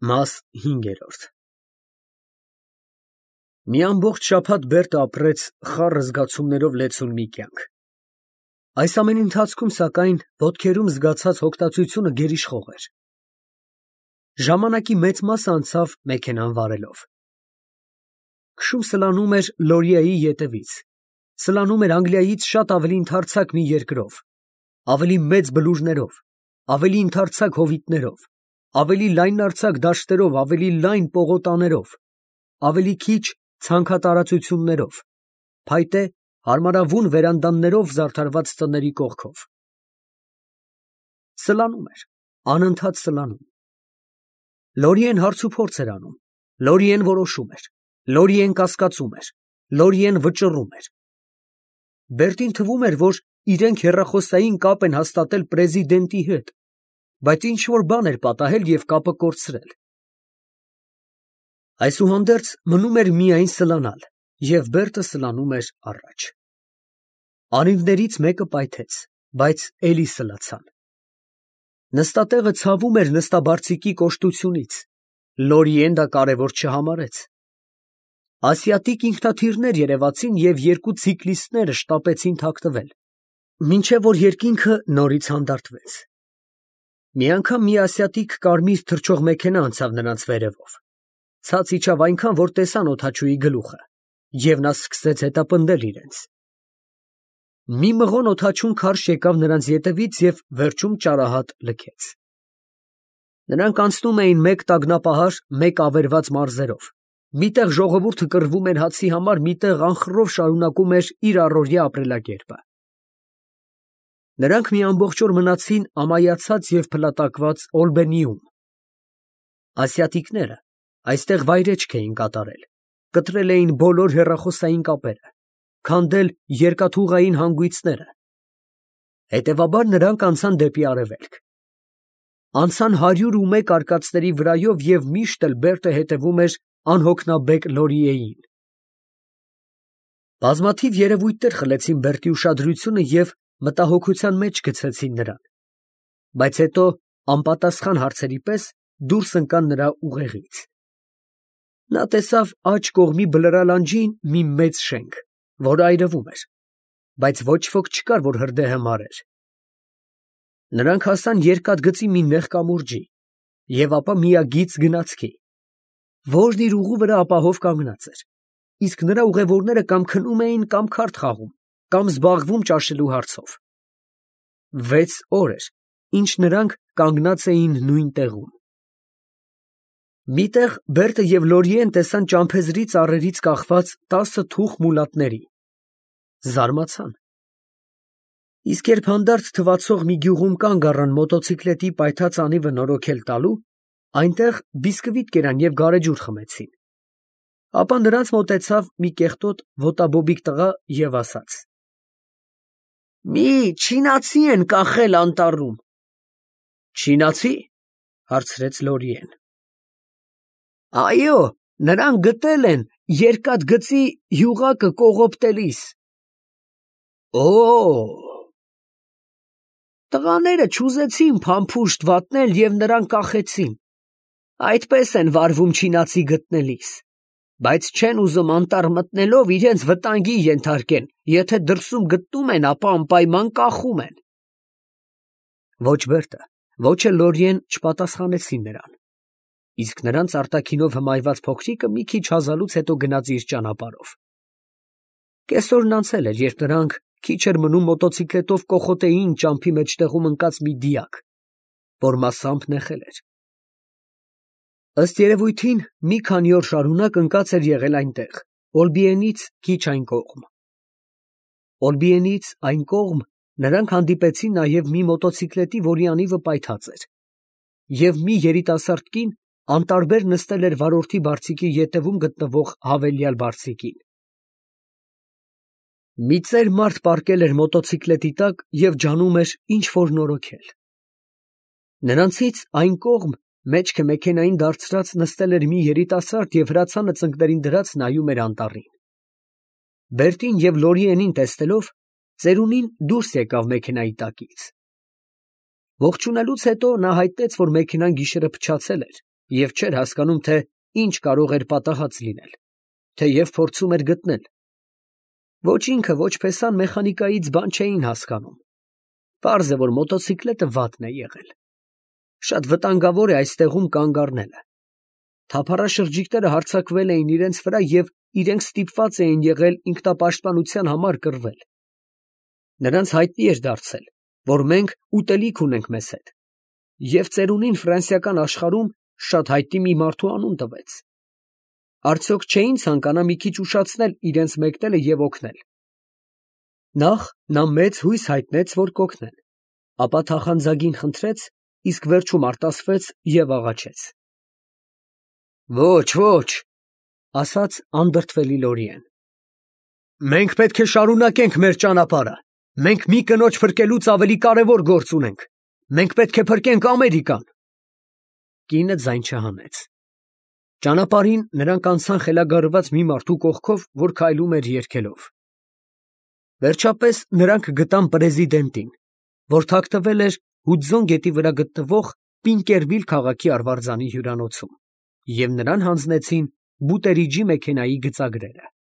Մաս 5 Մի ամբողջ շաբաթ Բերտը ապրեց խառը զգացումներով լեցուն մի կյանք։ Այս ամենի ընթացքում, սակայն, ոտքերում զգացած հոգտածությունը գերիշխող էր։ Ժամանակի մեծ մասը անցավ մեքենան վարելով։ Քշում սլանում էր Լորիայի ետևից, սլանում էր Անգլիայից շատ ավելի ընդարձակ մի երկրով, ավելի մեծ բլուրներով, ավելի ընդարձակ հովիտներով, ավելի լայնարձակ դաշտերով, ավելի լայն պողոտաներով, ավելի քիչ ցանքատարածություններով, փայտե հարմարավուն վերանդաներով զարդարված տների կողքով։ Սլանում էր, անընդհատ սլանում։ Լորիեն հարցուփորձ էր անում, Լորիեն որոշում էր, Լորիեն կասկածում էր, Լորիեն վճռում էր։ Բերտին թվում էր, որ իրենք հեռախոսային կապ են հաստատել պրեզիդենտի հետ, բայց ինչ-որ բան էր պատահել և կապը կորցրել։ Այսուհանդերձ մնում էր միայն սլանալ, և Բերտը սլանում էր առաջ։ Անիվներից մեկը պայթեց, բայց էլի սլացան։ Նստատեղը ցավում էր նստաբարձիկի կոշտությունից, Լորիեն դա կարևոր չհամարեց։ Ասիատիկ ինքնաթիռներ երևացին և երկու ցիկլիստները շտապեցին թաքնվել, մինչև որ երկինքը նորից հանդարտվեց։ Մի անգամ մի ասիատիկ կարմիր թռչող մեքենա անցավ նրանց վերևով, ցած իջավ այնքան, որ տեսան օդաչուի գլուխը, և նա սկսեց հետապնդել իրենց։ Մի մղոն օդաչուն քարշ եկավ նրանց ետևից և վերջում ճարահատ լքեց։ Նրանք անցնում էին մեկ տագնապահար, մեկ ավերված մարզերով, միտեղ ժողովուրդը կռվում էր հացի համար, միտեղ անխռով շարունակում էր իր առօրյա ապրելակերպը։ Նրանք մի ամբողջ օր մնացին ամայացած և փլատակված Օլբենիում։ Ասիատիկները այստեղ վայրէջք էին կատարել, կտրել էին բոլոր հեռախոսային կապերը, քանդել երկաթուղային հանգույցները։ Հետևաբար նրանք անցան դեպի արևելք։ Անցան 101 արկածների վրայով և միշտ էլ Բերտը հետևում էր անհոգնաբեկ Լորիեին։ Բազմաթիվ երևույթներ խլեցին Բերտի ուշադրությունը և մտահոգության մեջ գցեցին նրան, բայց հետո անպատասխան հարցերի պես դուրս ընկան նրա ուղեղից։ Նա տեսավ աջ կողմի բլրալանջին մի մեծ շենք, որը այրվում էր, բայց ոչ ոք չկար, որ հրդեհը մարեր։ Նրանք հասան երկաթգծի մի նեղ կամուրջի և ապա միագիծ գնացքի, որն իր ուղու վրա ապահով կանգնած էր, իսկ նրա ուղևորները կամ քնում էին, կամ քարտ խաղում, կամ զբաղվում ճաշելու հարցով։ 6 օր էր, ինչ նրանք կանգնած էին նույն տեղում։ Միտեղ Բերտը և Լորիեն տեսան ճամփեզի ծառերից կախված 10 թուխ մուլատների։ Զարմացան։ Իսկ երբ հանդարտ թվացող մի գյուղում կանգ առան մոտոցիկլետի պայթած անիվը նորոգել տալու, այնտեղ բիսկվիտ կերան և գարեջուր խմեցին։ Ապա նրանց մոտեցավ մի կեղտոտ ոտաբոբիկ տղա և ասաց. «Մի չինացի են կախել անտառում»։ «Չինացի՞, հարցրեց Լորիեն։ «Այո, նրան գտել են երկաթգծի յուղակը կողոպտելիս»։ «Օ՜»։ «Տղաները չուզեցին փամփուշտ վատնել և նրան կախեցին, այդպես են վարվում չինացի գտնելիս, բայց չեն ուզում անտառ մտնելով իրենց վտանգի ենթարկեն, եթե դրսում գտնում են, ապա անպայման կախում են»։ Ոչ Բերտը, ոչ էլ Լորիեն չպատասխանեցին նրան, իսկ նրանց արտաքինով հմայված փոքրիկը մի քիչ հազալուց հետո գնաց իր ճանապարհով։ Կեսօրն անցել էր, երբ նրանք քիչ էր մնում մոտոցիկլետով կոխոտեին ճամփի մեջտեղում ընկած մի դիակ, որ մասամբ նեխել էր։ Ըստ երևույթին, մի քանի օր շարունակ ընկած էր եղել այնտեղ, Օլբիենից քիչ այն կողմ։ Օլբիենից այն կողմ նրանք հանդիպեցին նաև մի մոտոցիկլետի, որի անիվը պայթած էր, և մի երիտասարդ կին անտարբեր նստել էր վարորդի բարձիկի ետևում գտնվող հավելյալ բարձիկին։ Մի ծեր մարդ պառկել էր մոտոցիկլետի տակ և ջանում էր ինչ֊որ նորոգել։ Նրանցից այն կողմ, մեջքը մեքենային դարձրած, նստել էր մի երիտասարդ և հրացանը ծնկներին դրած նայում էր անտառին։ Բերտին և Լորիենին տեսնելով, ծերունին դուրս եկավ մեքենայի տակից։ Ողջունելուց հետո նա հայտնեց, որ մեքենան գիշերը փչացել էր և չէր հասկանում, թե ինչ կարող էր պատահած լինել, թեև փորձում էր գտնել։ Ոչ ինքը, ոչ Փեսան մեխանիկայից բան չէին հասկանում։ Պարզ է, որ մոտոցիկլետը վատն է եղել։ Շատ վտանգավոր է այստեղում կանգ առնելը։ Թափառաշրջիկները հարձակվել էին իրենց վրա և իրենք ստիպված էին եղել ինքնապաշտպանության համար կռվել։ Նրանց հայտնի էր դարձել, որ մենք ուտելիք ունենք մեզ հետ, և ծերունին ֆրանսիական աշխարհում շատ հայտնի մի մարդու անուն տվեց։ Արդյոք չէին ցանկանա մի քիչ ուշացնել իրենց մեկնելը և օգնել։ Նախ նա մեծ հույս հայտնեց, որ կօգնեն, ապա թախանձագին խնդրեց, իսկ վերջում արտասվեց և աղաչեց։ «Ոչ, ոչ», ասաց անդրդվելի Լորիեն, «մենք պետք է շարունակենք մեր ճանապարհը, մենք մի կնոջ փրկելուց ավելի կարևոր գործ ունենք, մենք պետք է փրկենք Ամերիկան»։ Կինը ձայն չհանեց։ Ճանապարհին նրանք անցան խելագարված մի մարդու կողքով, որ քայլում էր երգելով։ Վերջապես նրանք գտան պրեզիդենտին, որ թաքնվել էր Հուդզոն գետի վրա գտնվող Պինկերվիլ քաղաքի արվարձանի հյուրանոցում, և նրան հանձնեցին Բուտերիջի մեքենայի գծագրերը։